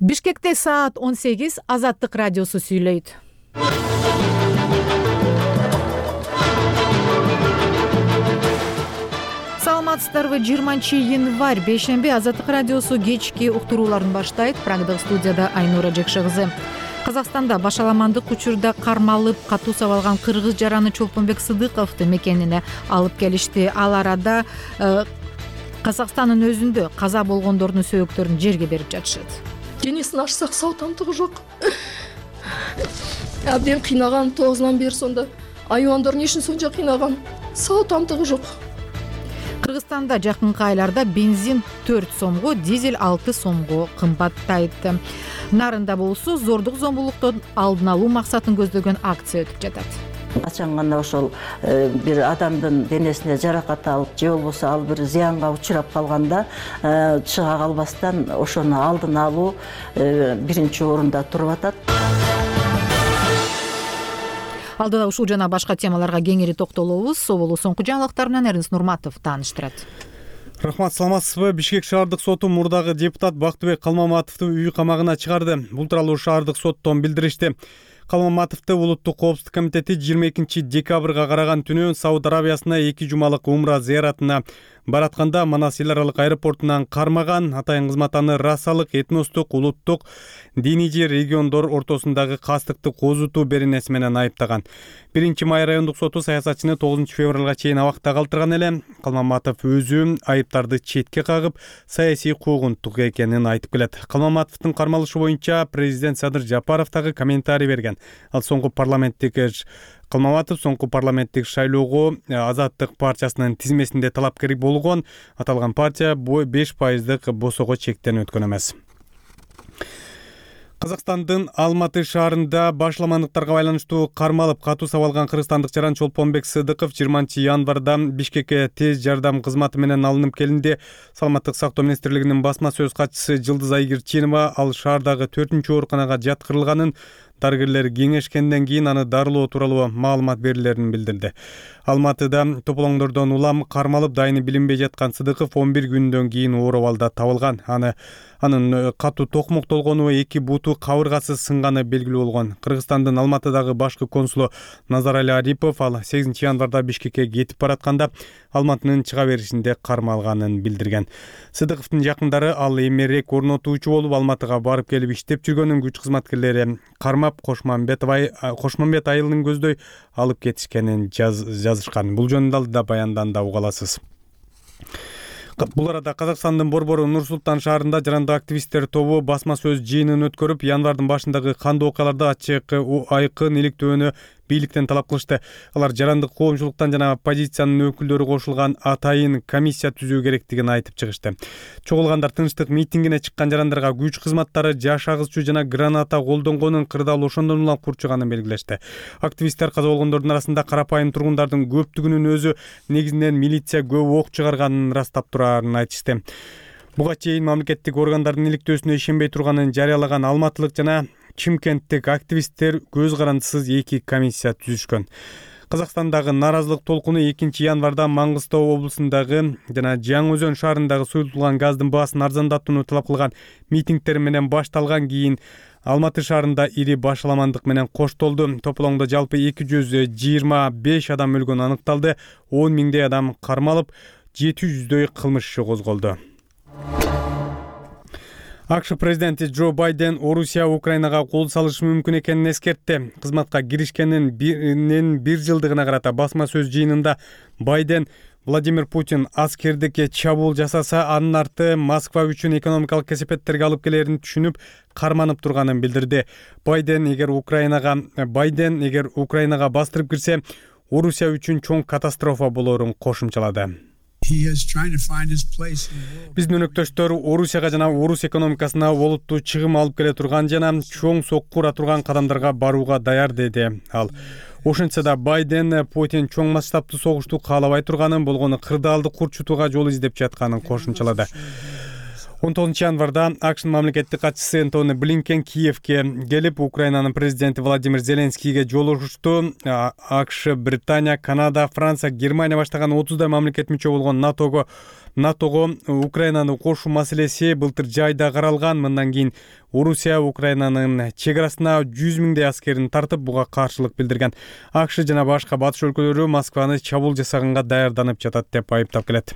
Бишкекте саат 18 Азаттык радиосу сүйлөйт. Саламатсыздарбы? 20-январь бейшемби Азаттык радиосу кечки уктурууларын баштайт. Прагдагы студияда Айнура Жекше кызы. Казакстанда башаламандык учурда кармалып катуу сабалган кыргыз жараны Чолпонбек Сыдыковду мекенине алып келишти. Ал арада Казакстандын өзүндө каза болгондордун сөөктөрүн жерге берип жатышат. Денесин ачсак сау тамтыгы жок. Абден кыйнаган, 9-нан бери сонда айвандардын ишин сонча кыйнаган, сау тамтыгы жок. Кыргызстанда жакынкы айларда бензин 4 сомго, дизель 6 сомго кымбаттайт. Нарында болсо зордук зомбулуктун алдын алуу максатын көздөгөн акция өтүп жатат. Качан гана ошол бир адамдын денесине жаракат алып, же болбосо ал бир зыянга учурап калганда чыга калбастан ошону алдын алуу биринчи орунда туруп атат. Алдыда ушул жана башка темаларга кеңири токтолобуз. Соболу соңку жаңылыктар менен Эрнис Нурматов тааныштырат. Рахмат, саламатсызбы? Бишкек шаардык соту мурдагы депутат Бактыбек Калмаматовду үй камагына чыгарды. Бул тууралуу шаардык соттон билдиришти. Калмаматовду Улуттук коопсуздук комитети 22 декабрга караган түнү Сауд Арабиясына 2 жумалык умра зыяратына баратканда Манас эл аралык аэропортунан кармаган, атайын кызматаны расалык, этностук, улуттук, диний же региондор ортосундагы кастыкты козутуу беренеси менен айыптаган. 1-Май райондук соту саясатчыны 9 февралга чейин абакта калтырган эле. Калмаматов өзү айыптарды четке кагып, саясий куугунтук экенин айтып келет. Калмаматовдун кармалышы боюнча президент Садыр Жапаров дагы комментарий берген. Ал Калмаматов соңку парламенттик шайлоого Азаттык партиясынын тизмесинде талапкер болгон. Аталган партия 5% босого чектен өткөн эмес. Казакстандын Алматы шаарында башаламандыктарга байланыштуу кармалып катуу сабалган кыргызстандык жаран Чолпонбек Сыдыков 20-январда Бишкекке тез жардам кызматы менен алынып келинди. Саламаттык сактоо министрлигинин басма сөз катчысы Жылдыз Айгирчинова ал шаардагы 4-чү ооруканага жаткырылганын, дарыгерлер кеңешкенден кийин аны дарылоо тууралуу маалымат берилерин билдирди. Алматыда тополоңдордон улам кармалып дайыны билинбей жаткан Сыдыков 11 күндөн кийин оор абалда табылган. Анын катуу токмоктолгону, 2 буту кабыргасы сынганы белгилүү болгон. Кыргызстандын Алматыдагы башкы консулу Назарали Арипов ал 8-январда Бишкекке кетип баратканда Алматынын чыга беришинде кармалганын билдирген. Сыдыковдун жакындары ал эмерек орнотуучу болуп Алматыга барып келип иштеп жүргөнүн күч кызматкерлери кармап Кошмамбет айылын көздөй алып кетишкенин жазышкан. Бул жөнүндө да баянданда уга аласыз. Бул арада Казакстандын Борбору Нур-Султан шаарында жарандык активисттер тобу басма сөз жыйынын өткөрүп, январдын башындагы кандуу окуяларда ачык айкын иликтөөнү бийликтен талап кылышты. Алар жарандык коомчулуктан жана оппозициянын өкүлдөрү кошулган атайын комиссия түзүү керектигин айтып чыгышты. Чогулгандар тынчтык митингине чыккан жарандарга күч кызматтары жаш агызчу жана граната колдонгонун, кырдаал ошондон улам курчуганын белгилешти. Активисттер каза болгондордун арасында карапайым тургундардын көптүгүнүн өзү негизинен милиция көп ок чыгарганын ырастап турарын айтышты. Буга чейин мамлекеттик органдардын иликтөөсүнө ишенбей турганын жарыялаган алматылык жана Чимкенттик активисттер көз карандысыз 2 комиссия түзүшкөн. Казакстандагы нааразылык толкуну 2-январда Маңгыстау облусундагы жана Жаңы Өзөн шаарындагы суюлтулган газдын баасын арзандатууну талап кылган митингдер менен башталган. Кийин Алматы шаарында ири башаламандык менен коштолду. Тополоңдо жалпы 225 адам өлгөнү аныкталды. 10 миңдей адам кармалып, 700дөй кылмыш иши козголду. АКШ президенти Джо Байден Орусия Украинага кол салышы мүмкүн экенин эскертти. Кызматка киришкенин 1 жылдыгына карата басма сөз жыйынында Байден Владимир Путин аскердикке чабуул жасаса, анын арты Москва үчүн экономикалык кесепеттерге алып келерин түшүнүп, карманып турганын билдирди. Байден эгер Украинага бастырып кирсе, Орусия үчүн чоң катастрофа болорун кошумчалады. Биздин өнөктөштөр Орусияга жана Орус экономикасына олуттуу чыгым алып келе турган жана чоң сокку ура турган кадамдарга барууга даяр, деди ал. Ошентсе да Байден Путин чоң масштабтуу согушту каалабай турганын, болгону кырдаалды курчутууга жол издеп жатканын кошумчалады. 19 январда AQSh мамлекеттик катчысы Энтони Блинкен Киевке келип, Украинанын президенти Владимир Зеленскийге жолугушту. AQSh, Британия, Канада, Франция, Германия баштаган 30дай мамлекет мүчө болгон НАТОго Украинаны кошуу маселеси былтыр жайда каралган. Мындан кийин Орусия Украинанын чек арасына 100 миңдей аскерин тартып, буга каршылык билдирген. AQSh жана башка батыш өлкөлөрү Москваны чабуул жасаганга даярданып жатат деп айыптап келет.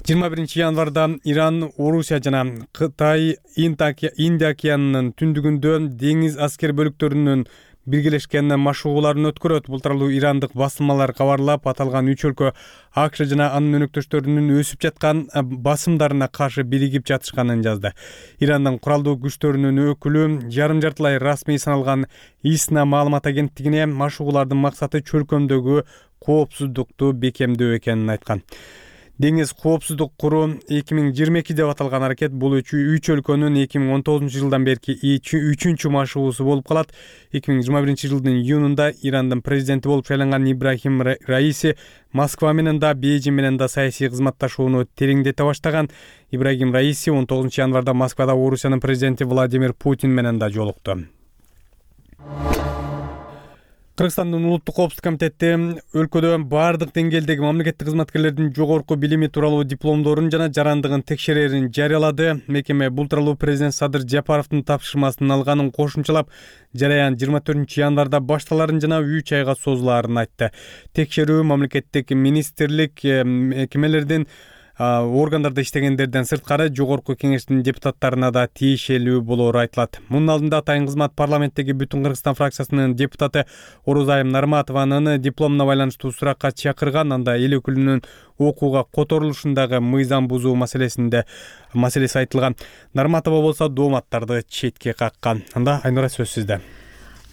21 январда Иран, Орусия жана Кытай Индия океанынын түндүгүндө деңиз аскер бөлүктөрүнүн биргелешкен машыгууларын өткөрөт. Бул тууралуу ирандык басылмалар кабарлап, аталган 3 өлкө AQSh жана анын өнөктөштөрүнүн өсүп жаткан басымдарына каршы биригип жатышканын жазды. Ирандын куралдуу күчтөрүнүн өкүлү жарым-жартылай расмий саналган ИСНА маалымат агенттигине машыгуулардын максаты чөлкөмдөгү коопсуздукту бекемдөө экенин айткан. Деңиз коопсуздук куруу 2022 деп аталган аракет бул 3 өлкөнүн 2019 жылдан берки 3-чү машыгуусу болуп калат. 2021 жылдын июнунда Ирандын президенти болуп шайланган Ибрахим Раиси Москва менен да, Бейжиң менен да саясий кызматташууну тереңдете баштаган. Ибрахим Раиси 19 январда Москвада Орусиянын президенти Владимир Путин менен да жолукту. Кыргызстандын улуттук коопсуздук комитети өлкөдө бардык деңгээлдеги мамлекеттик кызматкерлердин жогорку билими тууралуу дипломдорун жана жарандыгын текшерерин жарыялады. Мекеме бул тууралуу президент Садыр Жапаровдун тапшырмасын алганын кошумчалап, жараян 24 январда башталарын жана 3 айга созулаарын айтты. Текшерүү мамлекеттик министрлик, мекемелердин органдарда иштегендерден сырткары жогорку кеңештин депутаттарына да тиешелүү болоору айтылат. Мунун алдында Атайын кызмат парламенттеги Бүтүн Кыргызстан фракциясынын депутаты Орозайым Нарматованын дипломуна байланыштуу суракка чакырган. Анда эл өкүлүнүн окууга которулушундагы мыйзам бузуу маселеси айтылган. Нарматова болсо дооматтарды четке каккан. Анда Айнура, сөз сизде.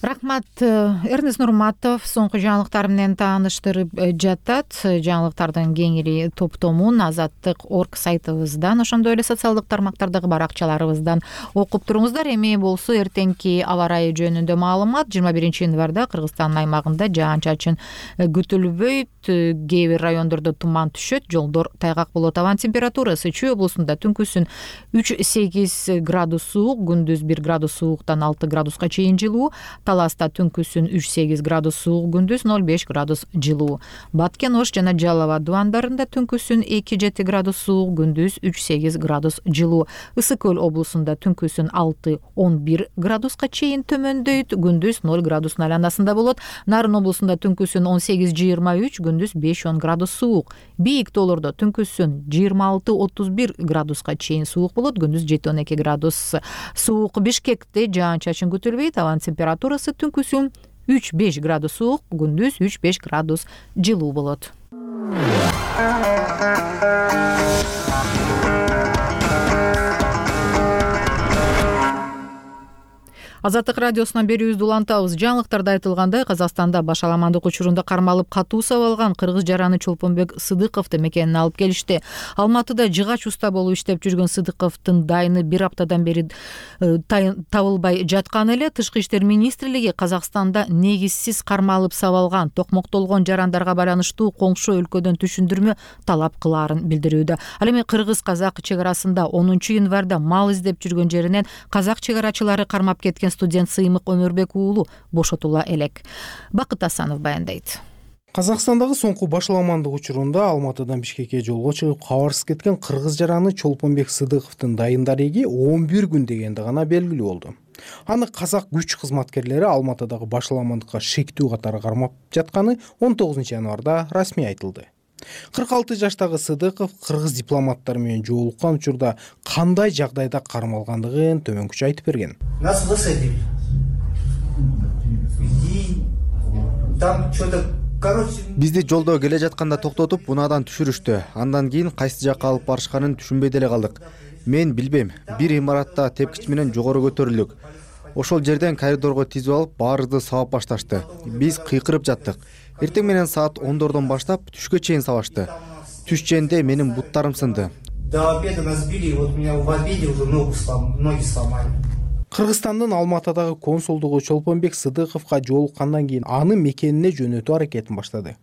Рахмат. Эрнест Нурматов соңку жаңылыктар менен тааныштырып жатат. Жаңылыктардын кеңири топтомун Азаттык.орг сайтыбыздан, ошондой эле социалдык тармактардагы баракчаларыбыздан окуп туруңуздар. Эми болсо эртеңки аба ырайы жөнүндө маалымат. 21 январда Кыргызстандын аймагында жаан-чачын күтүлбөйт. Кээ бир райондордо туман түшөт, жолдор тайгак болот. Абанын температурасы Чүй облусунда түнкүсүн 3-8 градус суук, күндүз 1 градус сууктан 6 градуска чейин жылуу. Таласта түнкүсүн 3-8 градус суук, күндүз 0-5 градус жылуу. Баткен, Ош жана Жалала дубандарында түнкүсүн 2-7 градус суук, күндүз 3-8 градус жылуу. Ысык Көл облусунда түнкүсүн 6-11 градуска чейин төмөндөйт, күндүз 0 градустун айланасында болот. Нарын облусунда түнкүсүн 18-23, күндүз 5-10 градус суук. Бийик тоолордо түнкүсүн 26-31 градуска чейин суук болот, күндүз 7-12 градус суук. Бишкекте жаан-чачын күтүлбөйт, абанын температурасы түнкүсүн 3-5 градус суук, күндүз 3-5 градус жылуу болот. Азаттык радиосунан берүүбүздү улантабыз. Жаңылыктарда айтылгандай, Казакстанда башаламандык учурунда кармалып катуу сабалган кыргыз жараны Чолпонбек Сыдыковду мекенине алып келишти. Алматыда жыгач уста болуп иштеп жүргөн Сыдыковдун дайыны 1 аптадан бери табылбай жаткан эле. Тышкы иштер министрлиги Казакстанда негизсиз кармалып сабалган, токмоктолгон жарандарга байланыштуу коңшу өлкөдөн түшүндүрмө талап кылаарын билдирүүдө. Ал эми кыргыз-казак чек арасында 10 январда мал издеп жүргөн жеринен казак чек арачылары кармап кеткен студент Сыймык Өмүрбек уулу бошотула элек. Бакыт Асанов баяндайт. Казакстандагы соңку башаламандык учурунда Алматыдан Бишкекке жолго чыгып кабарсыз кеткен кыргыз жараны Чолпонбек Сыдыковдун дайын дареги 11 күн дегенде гана белгилүү болду. Аны казак күч кызматкерлери Алматыдагы башаламандыкка шектүү катары кармап жатканы 19 январда расмий айтылды. 46 жаштагы Сыдыков кыргыз дипломаттары менен жолуккан учурда кандай жагдайда кармалгандыгын төмөнкүчө айтып берген. Нас высадили. Там что-то, короче... Бизди жолдо келе жатканда токтотуп, унаадан түшүрүштү. Андан кийин кайсы жакка алып барышканын түшүнбөй деле калдык. Мен билбейм. Бир имаратта тепкич менен жогору көтөрүлдүк. Ошол жерден коридорго тизип алып, баарыбызды сабап башташты. Биз кыйкырып жаттык. Эртең менен саат 10дордон баштап түшкө чейин сабашты. Түш ченде менин буттарым сынды. До обеда нас били, вот меня в обеде уже ноги сломали. Кыргызстандын Алматыдагы консулдугу Чолпонбек Сыдыковго жолуккандан кийин аны мекенине жөнөтүү аракетин баштады.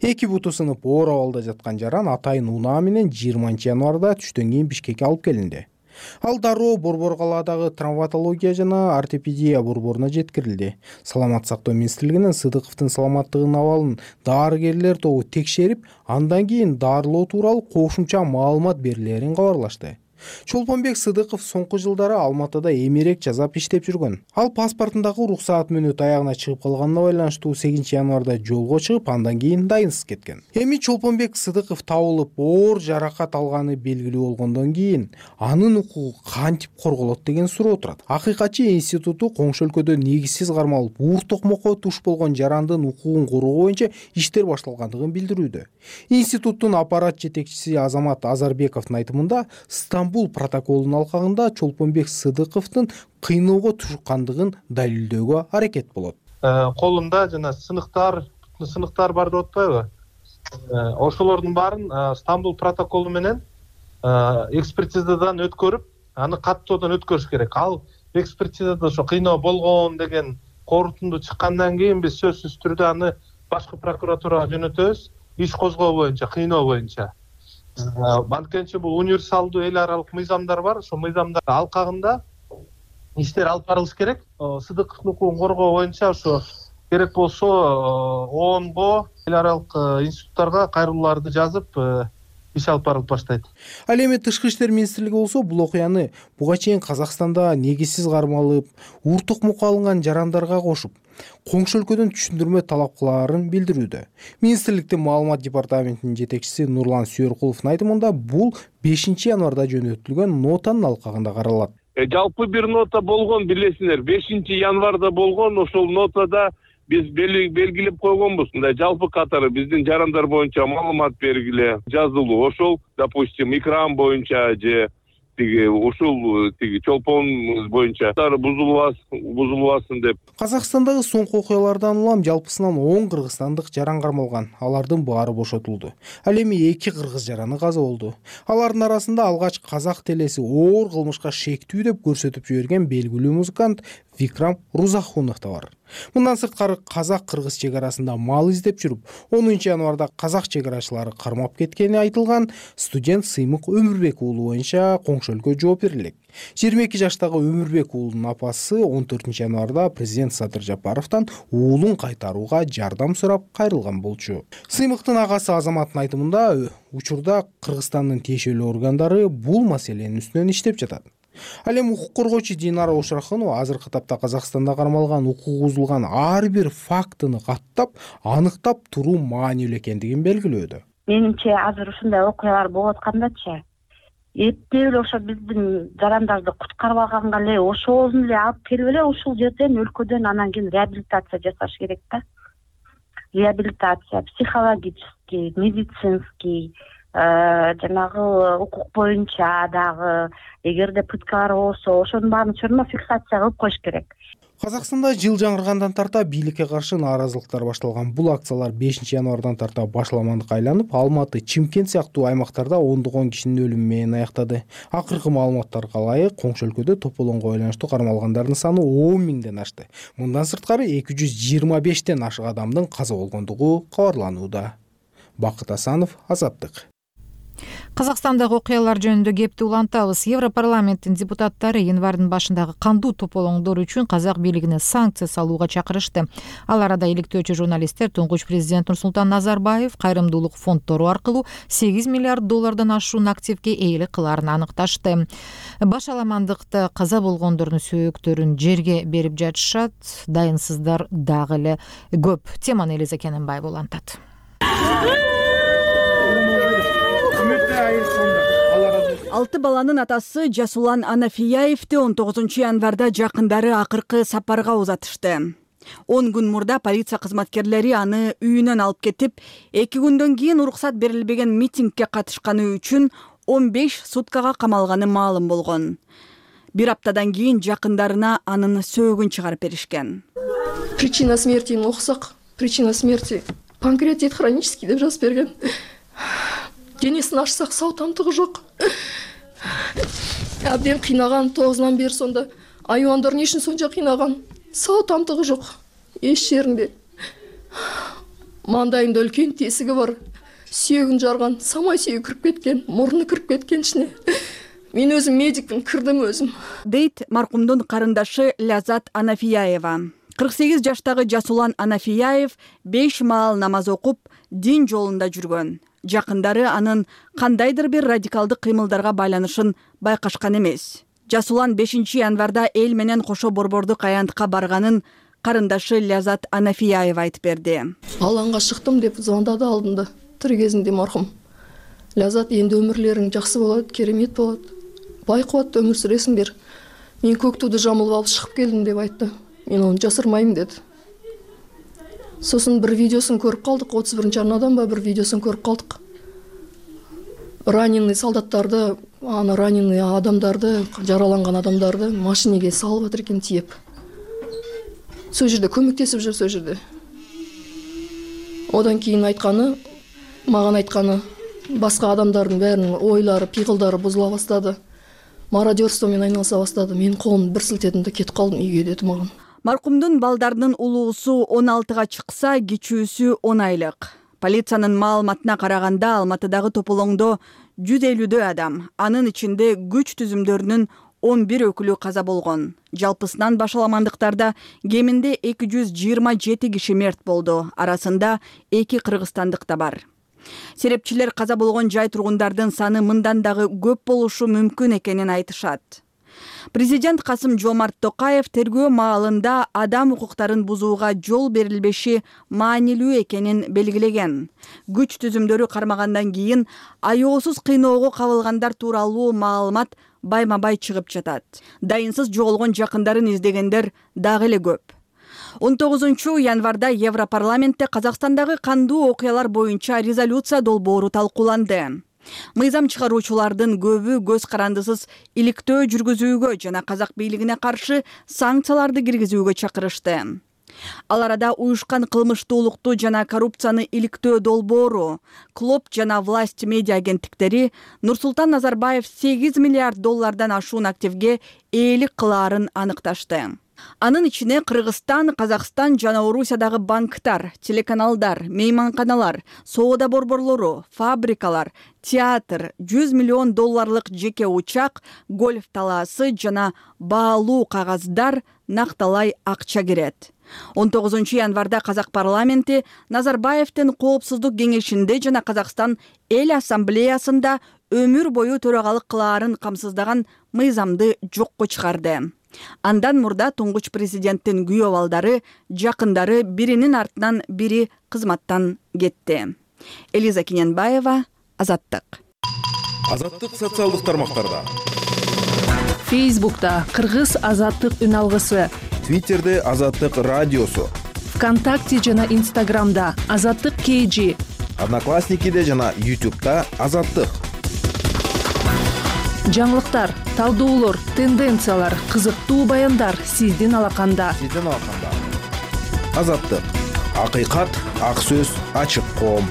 Эки буту сынып оор абалда жаткан жаран атайын унаа менен 20 январда түштөн кийин Бишкекке алып келинди. Ал дароо Борбор калаадагы травматология жана ортопедия борборуна жеткирилди. Саламаттык сактоо министрлигинин Сыдыковдун саламаттыгынын абалын дарыгерлер тобу текшерип, андан кийин дарылоо тууралуу кошумча маалымат берилерин кабарлашты. Чолпонбек Сыдыков соңку жылдары Алматыда эмерек жасап иштеп жүргөн. Ал паспортундагы уруксаат мүнөт аягына чыгып калганына байланыштуу 8 январда жолго чыгып, андан кийин дайынсыз кеткен. Эми Чолпонбек Сыдыков табылып, оор жаракат алганы белгилүү болгондон кийин анын укугу кантип корголот деген суроо турат. Акыйкатчы институту коңшу өлкөдө негизсиз кармалып, уур токмокко туш болгон жарандын укугун коргоо боюнча иштер башталгандыгын билдирүүдө. Институттун аппарат жетекчиси Азамат Азарбековдун айтымында, Стамбул протоколунун алкагында Чолпонбек Сыдыковдун кыйноого тушкандыгын далилдөөгө аракет болот. Колунда жана сыныктар бар деп атпайбы? Ошолордун баарын Стамбул протоколу менен экспертизадан өткөрүп, аны каттоодон өткөрүш керек. Ал экспертизада ошо кыйноо болгон деген корутунду чыккандан кийин биз сөзсүз түрдө аны башкы прокуратурага жөнөтөбүз, иш козгоо боюнча, кыйноо боюнча. Анткенче бул универсалдуу эл аралык мыйзамдар бар, ошо мыйзамдар алкагында иштер алып барылыш керек. Сыдыковдун укугун коргоо боюнча ошо керек болсо ООНго, эл аралык институттарга кайрылууларды жазып, иш алып барылып баштайт. Ал эми Тышкы иштер министрлиги болсо бул окуяны буга чейин Казакстанда негизсиз кармалып, уур токмокко алынган жарандарга кошуп, коңшу өлкөдөн түшүндүрмө талап кылаарын билдирүүдө. Министрликтин маалымат департаментинин жетекчиси Нурлан Сүйөркуловдун айтымында бул 5 январда жөнөтүлгөн нотанын алкагында каралат. Жалпы бир нота болгон, билесиңер, 5 январда болгон, ошол нотада биз белгилеп койгонбуз. Мындай жалпы катары биздин жарандар боюнча маалымат бергиле жазылуу. Ошол, допустим, экран боюнча же ушул чолпон боюнча бузулбасын деп. Казакстандагы соңку окуялардан улам жалпысынан 10 кыргызстандык жаран кармалган. Алардын баары бошотулду. Ал эми 2 кыргыз жараны каза болду. Алардын арасында алгач казак телеси оор кылмышка шектүү деп көрсөтүп жиберген белгилүү музыкант Викрам Рузахунов да бар. Мындан сырткары казак-кыргыз чек арасында мал издеп жүрүп, 10 январда казак чек-арачылары кармап кеткени айтылган студент Сыймык Өмүрбек уулу боюнча коңшу өлкө жооп берилет. 22 жаштагы Өмүрбек уулунун апасы 14 январда президент Садыр Жапаровдон уулун кайтарууга жардам сурап кайрылган болчу. Сыймыктын агасы Азаматтын айтымында, учурда Кыргызстандын тиешелүү органдары бул маселенин үстүнөн иштеп жатат. Ал эми укук коргоочу Динара Ошрахунова азыркы тапта Казакстанда кармалган укук бузулган ар бир фактыны каттап, аныктап туруу маанилүү экендигин белгилөөдө. Менимче азыр ушундай окуялар болуп аткандачы. Эптеп эле ошо биздин жарандарды куткарып алганга эле ошону эле алып келип эле ушул жерден өлкөдөн анан кийин реабилитация жасаш керек да. Реабилитация психологический, медицинский, жанагы укук боюнча дагы эгерде пыткалар болсо ошонун баарын чорно фиксация кылып коюш керек. Казакстанда жыл жаңыргандан тарта бийликке каршы нааразылыктар башталган. Бул акциялар 5 январдан тарта башламандыкка айланып, Алматы, Чимкент сыяктуу аймактарда ондогон кишинин өлүмү менен аяктады. Акыркы маалыматтарга ылайык, коңшу өлкөдө тополоңго байланыштуу кармалгандардын саны 10 миңден ашты. Мындан сырткары 225тен ашык адамдын каза болгондугу кабарланууда. Бакыт Асанов, Азаттык. Казакстандагы окуялар жөнүндө кепти улантабыз. Европарламенттин депутаттары январдын башындагы кандуу тополоңдор үчүн казак бийлигине санкция салууга чакырышты. Ал арада иликтөөчү журналисттер туңгуч президент Нурсултан Назарбаев кайрымдуулук фонддору аркылуу $8 миллиард активге ээлик кылаарын аныкташты. Башаламандыкта каза болгондордун сөөктөрүн жерге берип жатышат, дайынсыздар дагы эле көп. Теманы Элиза Кененбаева улантат. 6 баланын атасы Жасулан Анафияевди 19 январда жакындары акыркы сапарга узатышты. 10 күн мурда полиция кызматкерлери аны үйүнөн алып кетип, 2 күндөн кийин уруксат берилбеген митингге катышканы үчүн 15 суткага камалганы маалым болгон. Бир аптадан кийин жакындарына анын сөөгүн чыгарып беришкен. Причина смерти окусак, причина смерти панкреатит хронический деп жазып берген. Денесин ачсак сау тамтыгы жок. Абден кыйнаган 9-нан бери сонда. Айвандардын ишин сонча кыйнаган. Сау тамтыгы жок. Эч жеринде. мандайында үлкен тесігі бар, сүйегін жарған, самай сүйегі кіріп кеткен, мұрны кіріп кеткен ішіне. Мен өзім медикпін, кірдім өзім. Дейт марқұмдың қарындашы Лязат Анафияева. 48 жаштағы Жасулан Анафияев 5 маал намаз оқып, дин жолында жүргөн. Жақындары анын кандайдыр бир радикалдык кыймылдарга байланышын байкашкан эмес. Жасулан 5 январда эл менен кошо борбордук аянтка барганын карындашы Лязат Анафияева айтып берди. Алаңга шыктым деп звондады алдында. Тирүү кезинде маркум. Лязат, енді өмірлерің жақсы болады, керемет болады. Бай қуатты өмір сүресің бер. Мен көк туды жамылып алып шығып келдім деп айтты. Мен оны жасырмаймын деді. Сосын бір видеосын көріп қалдық, 31-ші арнадан ба бір видеосын көріп қалдық. Раненый солдаттарды, раненый адамдарды, жараланған адамдарды машинеге салып жатыр екен тиеп. Сол жерде көмектесіп жүр, сол жерде. Одан кейін маған айтқаны, басқа адамдардың бәрінің ойлары, пиғылдары бұзыла бастады. Мародерствомен айналыса бастады. Мен қолымды бір сілтедім де кетіп қалдым үйге деді маған. Марқұмдың балдарының улуусу 16-га чыкса, кичүүсү 10 айлык. Полициянын маалыматына караганда Алматыдагы тополоңдо 150 адам, анын ичинде күч түзүмдөрүнүн 11 өкүлү каза болгон. Жалпысынан башаламандыктарда кеминде 227 киши мерт болду. Арасында 2 кыргызстандык да бар. Серепчилер каза болгон жай тургундардын саны мындан дагы көп болушу мүмкүн экенин айтышат. Президент Касым-Жомарт Токаев тергөө маалында адам укуктарын бузууга жол берилбеши маанилүү экенин белгилеген. Күч түзүмдөрү кармагандан кийин аеосуз кыйноого кабылгандар тууралуу маалымат байма-бай чыгып жатат. Дайынсыз жоголгон жакындарын издегендер дагы эле көп. 19 январда Европарламентте Казакстандагы кандуу окуялар боюнча резолюция долбоору талкууланды. Мыйзам чыгаруучулардын көбү көз карандысыз иликтөө жүргүзүүгө жана казак бийлигине каршы санкцияларды киргизүүгө чакырышты. Ал арада уюшкан кылмыштуулукту жана коррупцияны иликтөө долбоору, Клоп жана власть медиа агенттиктери Нурсултан Назарбаев 8 миллиард доллардан ашуун активге ээлик кылаарын аныкташты. Анын ичине Кыргызстан, Казакстан жана Орусиядагы банктар, телеканалдар, мейманканалар, соода борборлору, фабрикалар, театр, 100 миллион долларлык жеке учак, гольф талаасы жана баалуу кагаздар накталай акча кирет. 19 январда Казак парламенти Назарбаевдин коопсуздук кеңешинде жана Казакстан эл ассамблеясында өмүр бою төрагалык кылаарын камсыздаган мыйзамды жокко чыгарды. Андан мурда туңгуч президенттин күйөө балдары, жакындары биринин артынан бири кызматтан кетти. Элиза Кененбаева, Азаттык. Азаттык социалдык тармактарда. Фейсбукта Кыргыз Азаттык үн алгысы. Твиттерде Азаттык радиосу. ВКонтакте жана Инстаграмда Азаттык KG. Одноклассникиде жана YouTube'да Азаттык. Жаңылыктар, талдоолор, тенденциялар, кызыктуу баяндар сиздин алаканда. Азаттык. Акыйкат, ак сөз, ачык коом.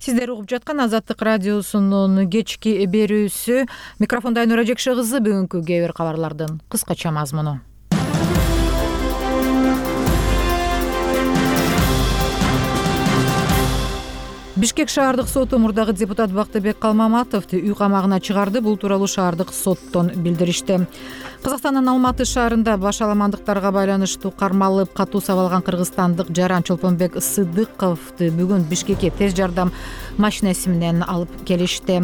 Сиздер угуп жаткан Азаттык радиосунун кечки берүүсү. Микрофонда Айнура Жекше кызы. Бүгүнкү кээ бир кабарлардын кыскача мазмуну. Бишкек шаардык соту мурдагы депутат Бактыбек Калмаматовду үй камагына чыгарды. Бул тууралуу шаардык соттон билдиришти. Казакстандын Алматы шаарында башаламандыктарга байланыштуу кармалып катуу сабалган кыргызстандык Жаран Чолпонбек Сыдыковду бүгүн Бишкекке тез жардам машинеси менен алып келишти.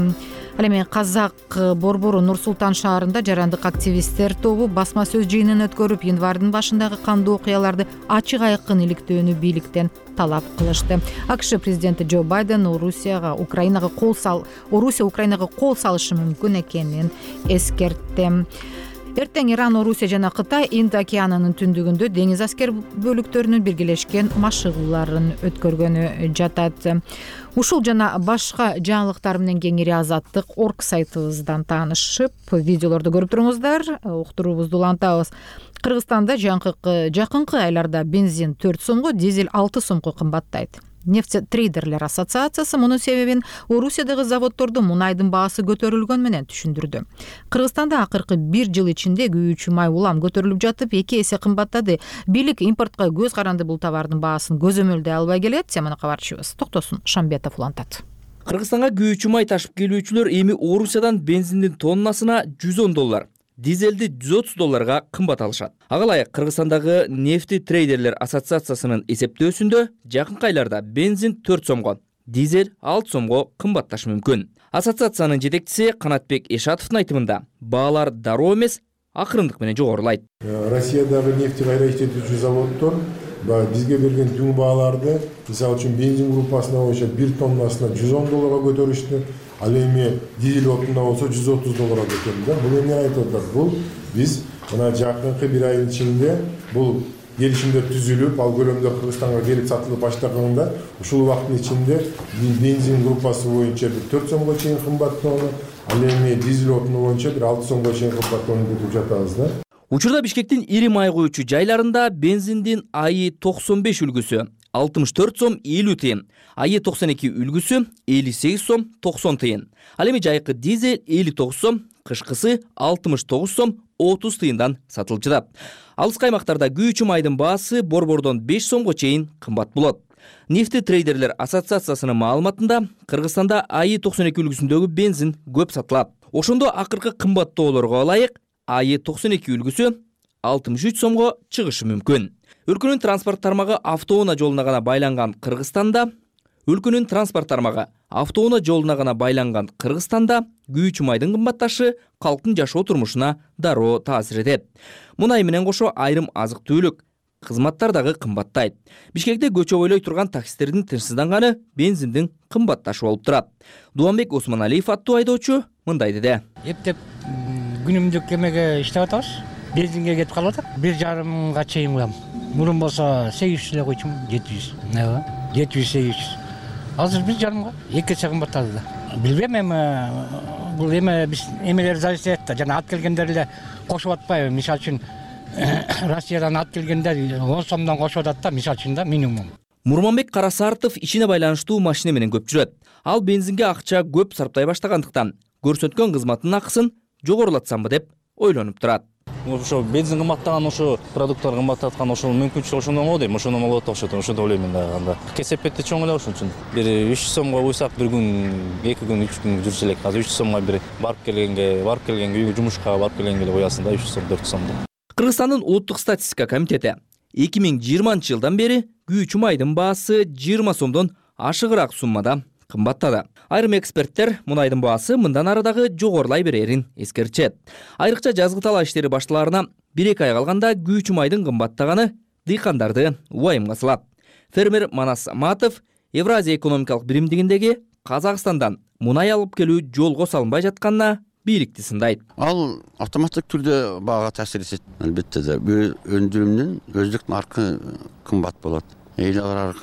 Ал эми Казак борбору Нур-Султан шаарында жарандык активисттер тобу басма сөз жыйынын өткөрүп, январдын башындагы кандуу окуяларды ачык айкын иликтөөнү бийликтен талап кылышты. АКШ президенти Джо Байден Орусия Украинага кол салышы мүмкүн экенин эскертти. Эртең Иран, Орусия жана Кытай Инд океанынын түндүгүндө деңиз аскер бөлүктөрүнүн биргелешкен машыгууларын өткөргөнү жатат. Ушул жана башка жаңылыктар менен кеңири Азаттык.org сайтыбыздан таанышып, видеолорду көрүп туруңуздар. Уктуруубузду улантабыз. Кыргызстанда жакынкы айларда бензин 4 сомго, дизель 6 сомго кымбаттайт. Нефтетрейдерлер ассоциациясы мунун себебин Орусиядагы заводдордо мунайдын баасы көтөрүлгөн менен түшүндүрдү. Кыргызстанда акыркы 1 жыл ичинде күйүүчү май улам көтөрүлүп жатып, 2 эсе кымбаттады. Бийлик импортко көз каранды бул товардын баасын көзөмөлдөй албай келет. Теманы кабарчыбыз Токтосун Шамбетов улантат. Кыргызстанга күйүүчү май ташып келүүчүлөр эми Орусиядан бензиндин тоннасына $110, дизелди $130 кымбат алышат. Ага ылайык Кыргызстандагы нефтетрейдерлер ассоциациясынын эсептөөсүндө жакынкы айларда бензин 4 сомго, дизель 6 сомго кымбатташы мүмкүн. Ассоциациянын жетекчиси Канатбек Эшатовдун айтымында баалар дароо эмес, акырындык менен жогорулайт. Россиядагы нефти кайра иштетүүчү заводдор бизге берген түн бааларды, мисалы үчүн бензин группасына боюнча 1 тоннасына $110 көтөрүштү. Ал эми дизель отунда болсо $130 көтөрүлдү. Бул эмне айтып атат? Бул биз мына жакынкы 1 айдын ичинде бул келишимдер түзүлүп, ал көлөмдөр Кыргызстанга келип сатылып баштаганда, ушул убакыттын ичинде бензин группасы боюнча 4 сомго чейин кымбаттоону, ал эми дизель отуну боюнча 6 сомго чейин кымбаттоону күтүп жатабыз да. Учурда Бишкектин ири май куючу жайларында бензиндин АИ-95 үлгүсү 64 сом 50 тыйын, АИ-92 үлгүсү 58 сом 90 тыйын. Ал эми жайкы дизель 59 сом, кышкысы 69 сом 30 тыйындан сатылып жатат. Алыскы аймактарда күйүүчү майдын баасы борбордон 5 сомго чейин кымбат болот. Нефтетрейдерлер ассоциациясынын маалыматында Кыргызстанда АИ-92 үлгүсүндөгү бензин көп сатылат. Ошондо акыркы кымбаттоолорго ылайык АИ-92 үлгүсү 63 сомго чыгышы мүмкүн. Өлкөнүн транспорт тармагы автоунаа жолуна гана байланган Кыргызстанда күйүүчү майдын кымбатташы калктын жашоо турмушуна дароо таасир этет. Мунай менен кошо айрым азык-түлүк кызматтар дагы кымбаттайт. Бишкекте көчө бойлой турган таксистердин тынчсызданганы бензиндин кымбатташы болуп турат. Дуанбек Осмоналиев аттуу айдоочу мындай деди. Эптеп күнүмдүк эмеге иштеп атабыз. Бензинге кетип калып атат. 1,5 чейин кылам. Мурун болсо 800 эле койчумун, 700. 700-800. Азыр 1,5 2 эсе кымбаттады да. Билбейм, эми бул эме биз эмелер зависит этет да. Жана ат келгендер эле кошуп атпайбы? Мисалы үчүн Россиядан ат келгенде 10 сомдон кошуп атат да, мисалы үчүн да, минимум. Мурманбек Карасартов ишине байланыштуу машина менен көп жүрөт. Ал бензинге акча көп сарптай баштагандыктан көрсөткөн кызматтын акысын жогорулатсамбы деп ойлонуп турат. Ошо бензин кымбаттаган, ошо продукттар кымбаттаткан, ошол мүмкүнчүлүк ошондон го дейм, ошондон болот окшойт, ошондо ойлойм да. Анда кесепетти чоң эле ошон үчүн. Бир 300 сомго уйсак, бир күн, 2 күн, 3 күн жүрсө элек. Азыр 300 сомго бир барып келген үйгө, жумушка барып келгенге эле коясың да, 300 сом, 400 сом. Кыргызстандын улуттук статистика комитети 2020-жылдан бери күйүүчү майдын баасы 20 сомдон ашыгыраак суммада кымбаттады. Айрым эксперттер мунайдын баасы мындан ары дагы жогорулай берерин эскертет. Айрыкча жазгы талаа иштери башталаарына 1-2 ай калганда күйүүчү майдын кымбаттаганы дыйкандарды убайымга салат. Фермер Манас Саматов Евразия экономикалык биримдигиндеги Казакстандан мунай алып келүү жолго салынбай жатканына бийликти сындайт. Ал автоматтык түрдө баага таасир этет. Албетте да өндүрүмдүн өздүк наркы кымбат болот. Эл аралык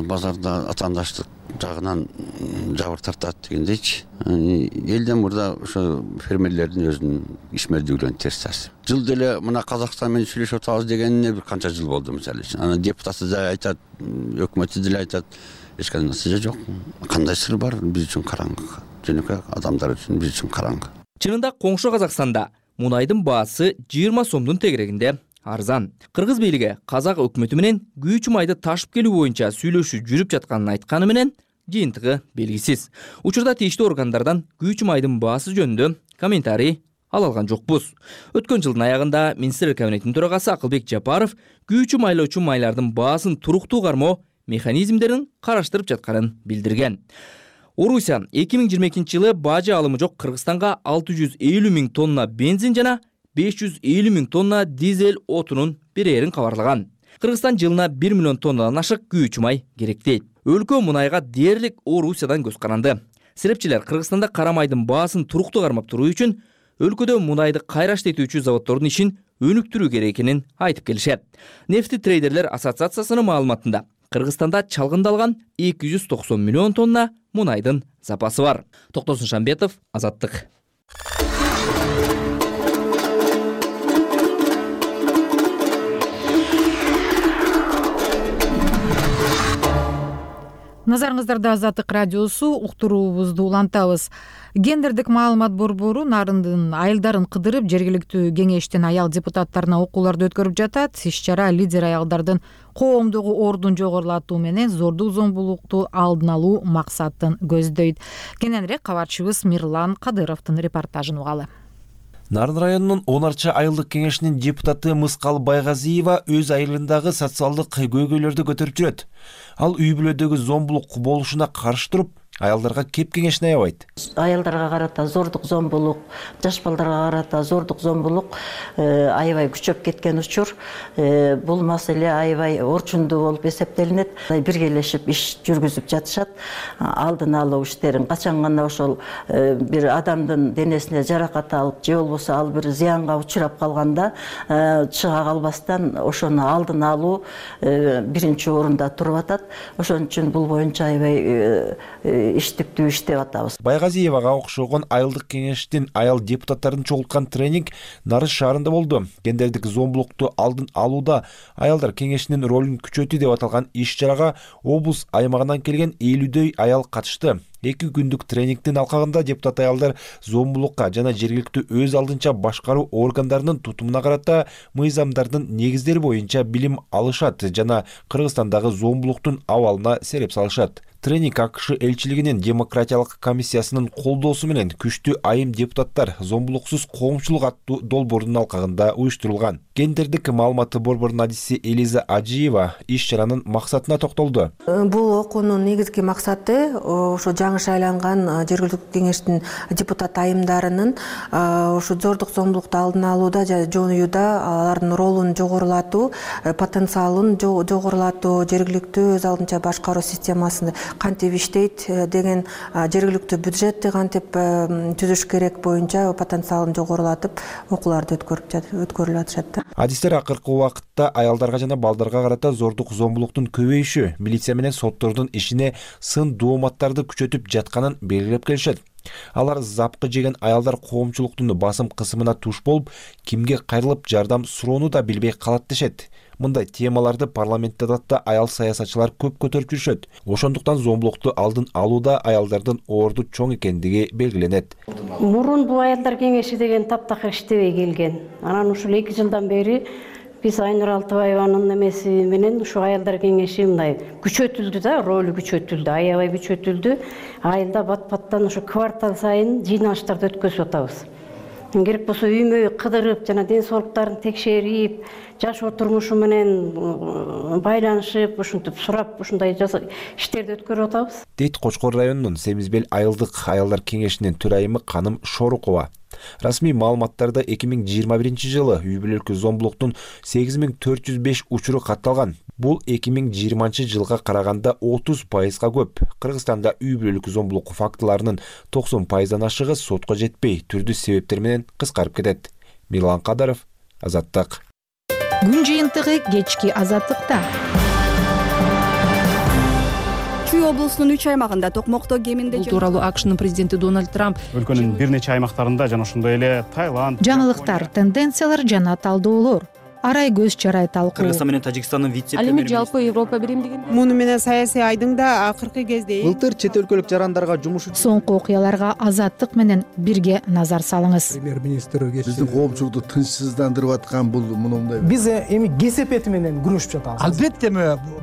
базарда атаандаштык жагынан жабыр тартат дегендейчи. Элден мурда ошо фермерлердин өзүнүн ишмердүүлүгүнө терс таасир. Жыл деле мына Казакстан менен сүйлөшүп атабыз дегенине бир канча жыл болду мисалы үчүн. Анан депутаты да айтат, өкмөтү деле айтат, эч кандай натыйжа жок. Кандай сыр бар, биз үчүн караңгы. Жөнөкөй адамдар үчүн биз үчүн караңгы. Чынында коңшу Казакстанда мунайдын баасы 20 сомдун тегерегинде арзан. Кыргыз бийлиги Казак өкмөтү менен күйүүчү майды ташып келүү боюнча сүйлөшүү жүрүп жатканын айтканы менен жыйынтыгы белгисиз. Учурда тийиштүү органдардан күйүүчү майдын баасы жөнүндө комментарий ала алган жокпуз. Өткөн жылдын аягында Министрлер кабинетинин төрагасы Акылбек Жапаров күйүүчү майлоочу майлардын баасын туруктуу кармоо механизмдерин караштырып жатканын билдирген. Орусия 2022-жылы бажы алымы жок Кыргызстанга 650 000 тонна бензин жана 550 000 тонна дизель отунун берерин кабарлаган. Кыргызстан жылына 1 миллион тоннадан ашык күйүүчү май керектейт. Өлкө мунайга дээрлик Орусиядан көз каранды. Серепчилер Кыргызстанда кара майдын баасын туруктуу кармап туруу үчүн өлкөдө мунайды кайра иштетүүчү заводдордун ишин өнүктүрүү керек экенин айтып келишет. Нефтетрейдерлер ассоциациясынын маалыматында Кыргызстанда чалгындалган 290 миллион тонна мунайдын запасы бар. Токтосун Шамбетов, Азаттык. Назарыңыздарда Азаттык радиосу, уктуруубузду улантабыз. Гендердик маалымат борбору нарындын айылдарын кыдырып, жергиликтүү кеңештин аял депутаттарына окууларды өткөрүп жатат. Иш-чара лидер аялдардын коомдогу ордун жогорулатуу менен зордук зомбулукту алдын алуу максатын көздөйт. Кененирээк кабарчыбыз Мирлан Кадыровдун репортажын угалы. Нарын районунун 10 айылдык кеңешинин депутаты Мыскал Байгазиева өз айылындагы социалдык көйгөйлөрдү көтөрүп жүрөт. Ал үй бүлөдөгү зомбулук болушуна каршы туруп, аялдарга кеп кеңешин аябайт. Аялдарга карата зордук зомбулук, жаш балдарга карата зордук зомбулук аябай күчөп кеткен учур. Бул маселе аябай орчундуу болуп эсептелинет. Биргелешип иш жүргүзүп жатышат. Алдын алуу иштерин качан гана ошол бир адамдын денесине жаракат алып, же болбосо ал бир зыянга учурап калганда чыга калбастан ошону алдын алуу биринчи орунда туруп атат. Ошон үчүн бул боюнча аябай иштиктүү иштеп атабыз. Байгазиевага окшогон айылдык кеңештин аял депутаттарын чогулткан тренинг Нарыс шаарында болду. Гендердик зомбулукту алдын алууда аялдар кеңешинин ролун күчөтүү деп аталган иш-чарага облус аймагынан келген 50дөй аял катышты. 2 күндүк тренингдин алкагында депутат аялдар зомбулукка жана жергиликтүү өз алдынча башкаруу органдарынын тутумуна карата мыйзамдардын негиздери боюнча билим алышат жана Кыргызстандагы зомбулуктун абалына сереп салышат. Тренинг АКШ элчилигинин демократиялык комиссиясынын колдоосу менен күчтүү айым депутаттар зомбулуксуз коомчулук аттуу долбоордун алкагында уюштурулган. Гендердик маалыматы борборунун адиси Элиза Ажиева иш-чаранын максатына токтолду. Бул окуунун негизги максаты ошо жаңы шайланган жергиликтүү кеңештин депутат айымдарынын ошо зордук зомбулукту алдын алууда жана жоюуда алардын ролун жогорулатуу, потенциалын жогорулатуу, жергиликтүү өз алдынча башкаруу системасында кантип иштейт деген, жергиликтүү бюджетти кантип түзүш керек боюнча потенциалын жогорулатып окууларды өткөрүлүп атышат. Адистер акыркы убакытта аялдарга жана балдарга карата зордук зомбулуктун көбөйүшү милиция менен соттордун ишине сын дооматтарды күчөтүп жатканын белгилеп келишет. Алар запкы жеген аялдар коомчулуктун басым кысымына туш болуп, кимге кайрылып жардам суроону да билбей калат дешет. Мындай темаларды парламентте да аял саясатчылар көп көтөрүп жүрүшөт. Ошондуктан зомбулукту алдын алууда аялдардын орду чоң экендиги белгиленет. Мурун бул аялдар кеңеши деген таптакыр иштебей келген. Анан ушул 2 жылдан бери биз Айнур Алтыбаеванын эмеси менен ушу аялдар кеңеши мындай күчөтүлдү да, ролу күчөтүлдү, аябай күчөтүлдү. Айылда бат-баттан ушу квартал сайын жыйналыштарды өткөзүп атабыз. Керек болсо үймө кыдырып жана ден соолуктарын текшерип, жашоо турмушу менен байланышып, ушинтип сурап, ушундай иштерди өткөрүп атабыз. Дейт Кочкор районунун Семизбел айылдык аялдар кеңешинин төрайымы Каным Шорукова. Расмий маалыматтарда 2021 жылы үй бүлөлүк зомбулуктун 8405 учуру катталган. Бул 2020 жылга караганда 30% көп. Кыргызстанда үй бүлөлүк зомбулук фактыларынын 90%дан ашыгы сотко жетпей, түрдүү себептер менен кыскарып кетет. Мирлан Кадыров, Азаттык. Күн жыйынтыгы кечки Азаттыкта. Чүй облусунун 3 аймагында токмокто кеминде Бул тууралуу АКШнын президенти Дональд Трамп өлкөнүн бир нече аймактарында жана ошондой эле Таиланд, жаңылыктар, тенденциялар жана талдоолор. Арай көз чарай талкуу. Кыргызстан менен Тажикстандын вице-премьери. Ал эми жалпы Европа биримдигин. Муну менен саясий айдың да акыркы кезде Былтыр чет өлкөлүк жарандарга жумуш Соңку окуяларга Азаттык менен бирге назар салыңыз. Премьер-министр биздин коомчулукту тынчсыздандырып аткан бул мындай. Биз эми кесепети менен күрөшүп жатабыз. Албетте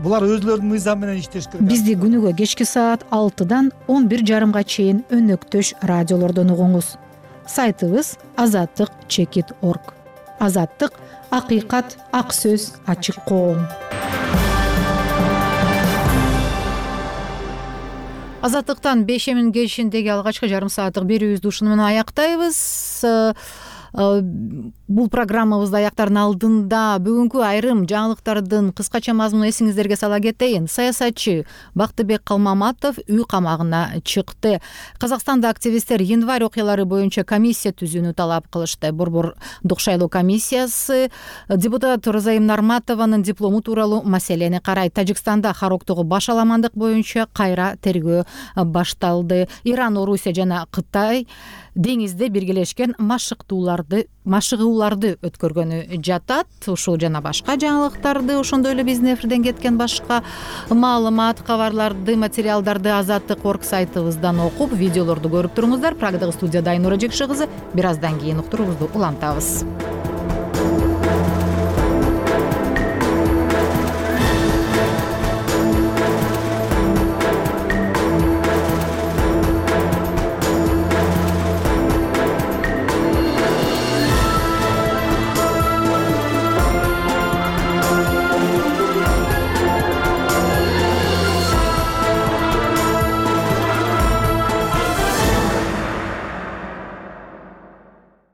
булар өзлөрүнүн мыйзамы менен иштеш керек. Бизди күнүгө кечки саат 6-дан 11:30 чейин өнөктөш радиолордон угуңуз. Сайтыбыз azattik.org. Азаттык — акыйкат, ак сөз, ачык коом. Азаттыктан бешемин кечиндеги алгачкы жарым сааттык берүүбүздү ушуну менен аяктайбыз. Бул программабызды аяктардын алдында бүгүнкү айрым жаңылыктардын кыскача мазмунун эсиңиздерге сала кетейин. Саясатчы Бактыбек Калмаматов үй камагына чыкты. Казакстанда активисттер январь окуялары боюнча комиссия түзүүнү талап кылышты. Борбордук шайлоо комиссиясы депутат Розайым Нарматованын диплому тууралуу маселени карайт. Тажикстанда Хароктогу башаламандык боюнча кайра тергөө башталды. Иран, Орусия жана Кытай деңизде биргелешкен машыктууларды машыгууларды өткөргөнү жатат. Ушул жана башка жаңылыктарды, ошондой эле биздин эфирден кеткен башка маалымат, кабарларды, материалдарды Азаттык орг сайтыбыздан окуп, видеолорду көрүп туруңуздар. Прагдагы студияда Айнура Жекши кызы. Бир аздан кийин уктуруубузду улантабыз.